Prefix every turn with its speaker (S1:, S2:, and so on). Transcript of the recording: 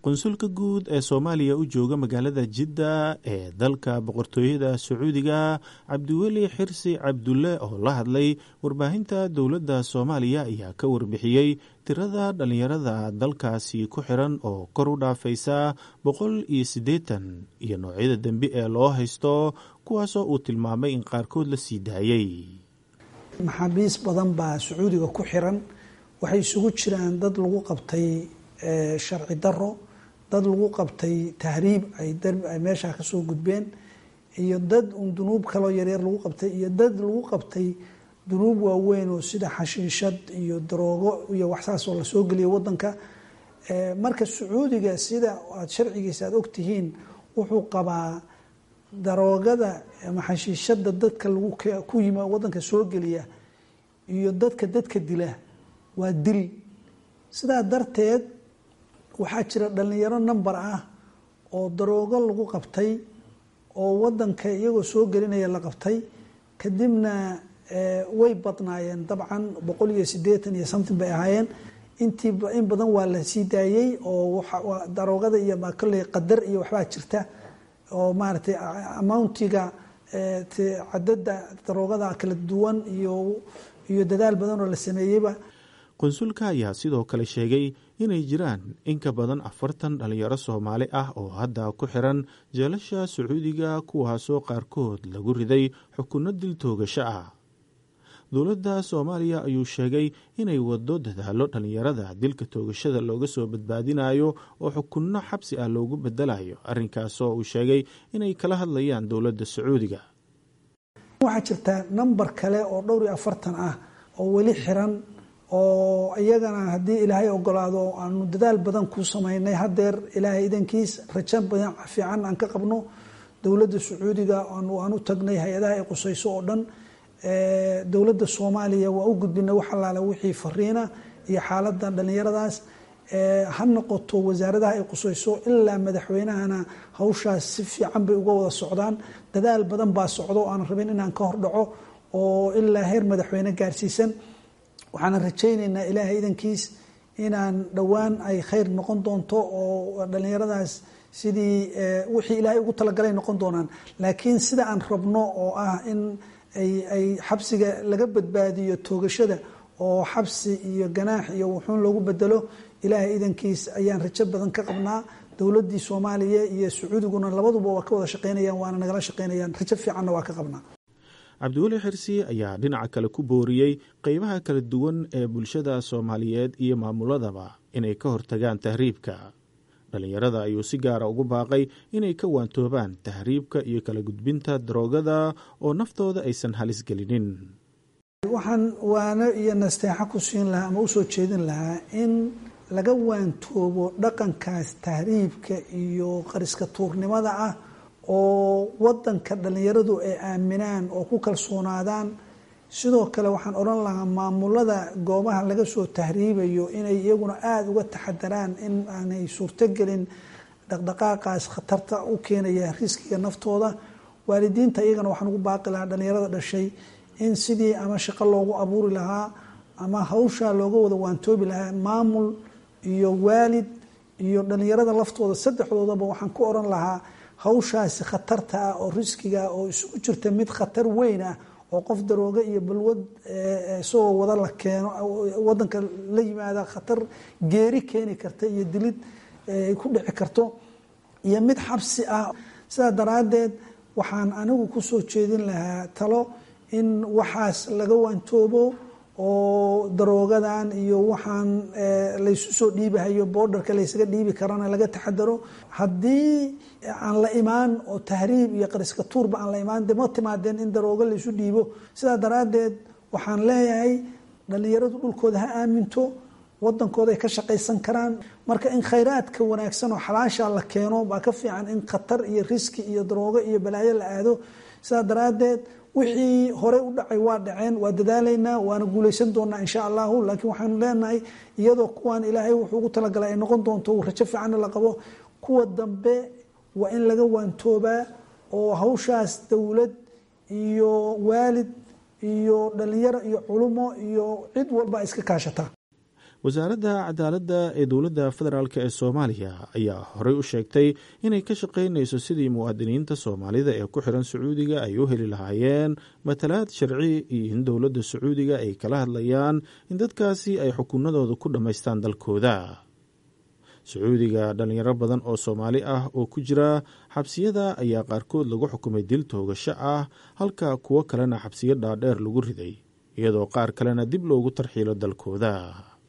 S1: Qunsulka guud ee Soomaaliya u jooga magaalada Jidda ee dalka Boqortooyada Sacuudiga, Cabdiweli Xirsi Cabdulle, oo la hadlay warbaahinta dowladda Soomaaliya, ayaa ka warbixiyey tirada dhallinyarada dalkaasi ku xiran oo kor u dhaafaysa 180 iyo noocyada dembi ee loo haysto, kuwaasoo uu tilmaamay in qaarkood la sii daayey.
S2: Maxaabiis badan baa Sacuudiga ku xiran. Waxay isugu jiraan dad lagu qabtay sharci daro, dad lagu qabtay tahriib ay meeshaa kasoo gudbeen, iyo dad un dunuub kaloo yaryar lagu qabtay, iyo dad lagu qabtay dunuub waaweyn oo sida xashiishad iyo daroogo iyo waxsaas oo lasoo geliyay wadanka. Marka Sacuudiga, sida aad sharcigiisa aad ogtihiin, wuxuu qabaa daroogada ama xashiishada dadka lagu ku yimi wadanka soo geliya iyo dadka dila waa dil. Sidaa darteed waxaa jira dhalinyaro number ah oo daroogo lagu qabtay oo wadanka iyagoo soo gelinaya la qabtay. Kadibna way badnaayeen dabcan, 180 iyo something bay ahaayeen. Intii in badan waa la sii daayey oo daroogada iyo kolley qadar iyo waxbaa jirta oo maaragtay amountiga cadada daroogada kala duwan iyo dadaal badan oo la sameeyeyba.
S1: Qunsulka ayaa sidoo kale sheegay inay jiraan in ka badan 40 dhalinyaro Soomaali ah oo hadda ku xiran jeelasha Sacuudiga, kuwaasoo qaarkood lagu riday xukunno dil toogasho ah. Dowladda Soomaaliya ayuu sheegay inay wado dadaalo dhalinyarada dilka toogashada looga soo badbaadinayo oo xukunno xabsi ah loogu bedelayo, arrinkaasoo uu sheegay inay kala hadlayaan dowladda Sacuudiga.
S2: Waxaa jirta number kale oo dhowr iyo 40 ah oo weli xiran, oo iyagana haddii Ilaahay ogolaado aanu dadaal badan ku samaynay. Haddeer Ilaahay idankiis rajo badan fiican aan ka qabno dowladda Sacuudiga aan u tagnay, hay-adaha ay qusayso oo dhan. Dowladda Soomaaliya waa u gudbinay wax allaale wixii fariina iyo xaaladda dhallinyaradaas, ha noqoto wasaaradaha ay qusayso ilaa madaxweynahana. Hawshaas si fiican bay uga wada socdaan. Dadaal badan baa socdo oo aan rabin inaan ka hordhaco oo ilaa heer madaxweyne gaarsiisan. Waxaana rajaynaynaa Ilaahay idankiis inaan dhowaan ay khayr noqon doonto oo dhallinyaradaas sidii wixii Ilaahay ugu talagalay noqon doonaan. Laakiin sida aan rabno oo ah in ay xabsiga laga badbaadiyo toogashada oo xabsi iyo ganaax iyo wuxuun loogu bedelo, Ilaahay idankiis ayaan rajo badan ka qabnaa. Dowladdii Soomaaliya iyo Sacuudiguna labaduba waa ka wada shaqeynayaan, waana nagala shaqeynayaan, rajo fiicanna waa ka qabnaa.
S1: Cabdiweli Xirsi ayaa dhinaca kale ku booriyey qeybaha kala duwan ee bulshada Soomaaliyeed iyo maamuladaba inay ka hortagaan tahriibka. Dhallinyarada ayuu si gaara ugu baaqay inay ka waantoobaan tahriibka iyo kala gudbinta daroogada oo naftooda aysan halis gelinin.
S2: Waxaan waano iyo nasteexo ku siin lahaa ama usoo jeedin lahaa in laga waantoobo dhaqankaas tahriibka iyo qariska tuurnimada ah, oo wadanka dhallinyaradu ay aaminaan oo ku kalsoonaadaan. Sidoo kale waxaan odhan lahaa maamulada goobaha laga soo tahriibayo inay iyaguna aada uga taxadaraan in aanay suurtogelin dhaqdhaqaaqaas khatarta u keenaya riskiga naftooda. Waalidiinta iyagana waxaan ugu baaqi lahaa dhallinyarada dhashay in sidii ama shaqo loogu abuuri lahaa ama hawshaa looga wada waantoobi lahaa, maamul iyo waalid iyo dhallinyarada laftooda, saddexdoodaba waxaan ku odhan lahaa hawshaasi khatarta ah oo riskiga oo isugu jirta mid khatar weyn ah oo qof darooge iyo balwad isagoo wada la keeno wadanka la yimaada khatar geeri keeni karta iyo dilid ay ku dhici karto, iyo mid xabsi ah. Sidaa daraaddeed waxaan anigu kusoo jeedin lahaa talo in waxaas laga waantoobo oo daroogadan iyo waxaan laysu soo dhiibahayo boordarka laysaga dhiibi karana laga taxadaro. Haddii aan la imaan oo tahriib iyo qariska tuurba aan la imaan, de ma timaadeen in daroogo laysu dhiibo. Sidaa daraaddeed waxaan leeyahay dhallinyaradu dhulkooda ha aaminto, wadankooda ay ka shaqaysan karaan. Marka in khayraadka wanaagsan oo xalaasha la keeno baa ka fiican in khatar iyo riski iyo daroogo iyo balaayo la aado. Sidaa daraaddeed wixii horey u dhacay waa dhaceen, waa dadaalaynaa, waana guulaysan doonaa insha Allahu. Laakiin waxaanu leenahay iyadoo kuwaan Ilaahay wuxuu ugu talagalay ay noqon doonto, rajo fiicanna la qabo, kuwa dambe waa in laga waantoobaa oo hawshaas dowlad iyo waalid iyo dhalinyaro iyo culumo iyo cid walba iska kaashataa.
S1: Wasaaradda cadaaladda ee dowladda federaalk ee Soomaaliya ayaa horey u sheegtay inay ka shaqaynayso sidii muwaadiniinta Soomaalida ee ku xiran Sacuudiga ay u heli lahaayeen matalaad sharci iyo in dowladda Sacuudiga ay kala hadlayaan in dadkaasi ay xukunadooda ku dhammaystaan dalkooda. Sacuudiga dhalinyaro badan oo Soomaali ah oo ku jira xabsiyada ayaa qaarkood lagu xukumay dil toogasho ah, halka kuwo kalena xabsiyo dhaadheer lagu riday, iyadoo qaar kalena dib loogu tarxiilo dalkooda.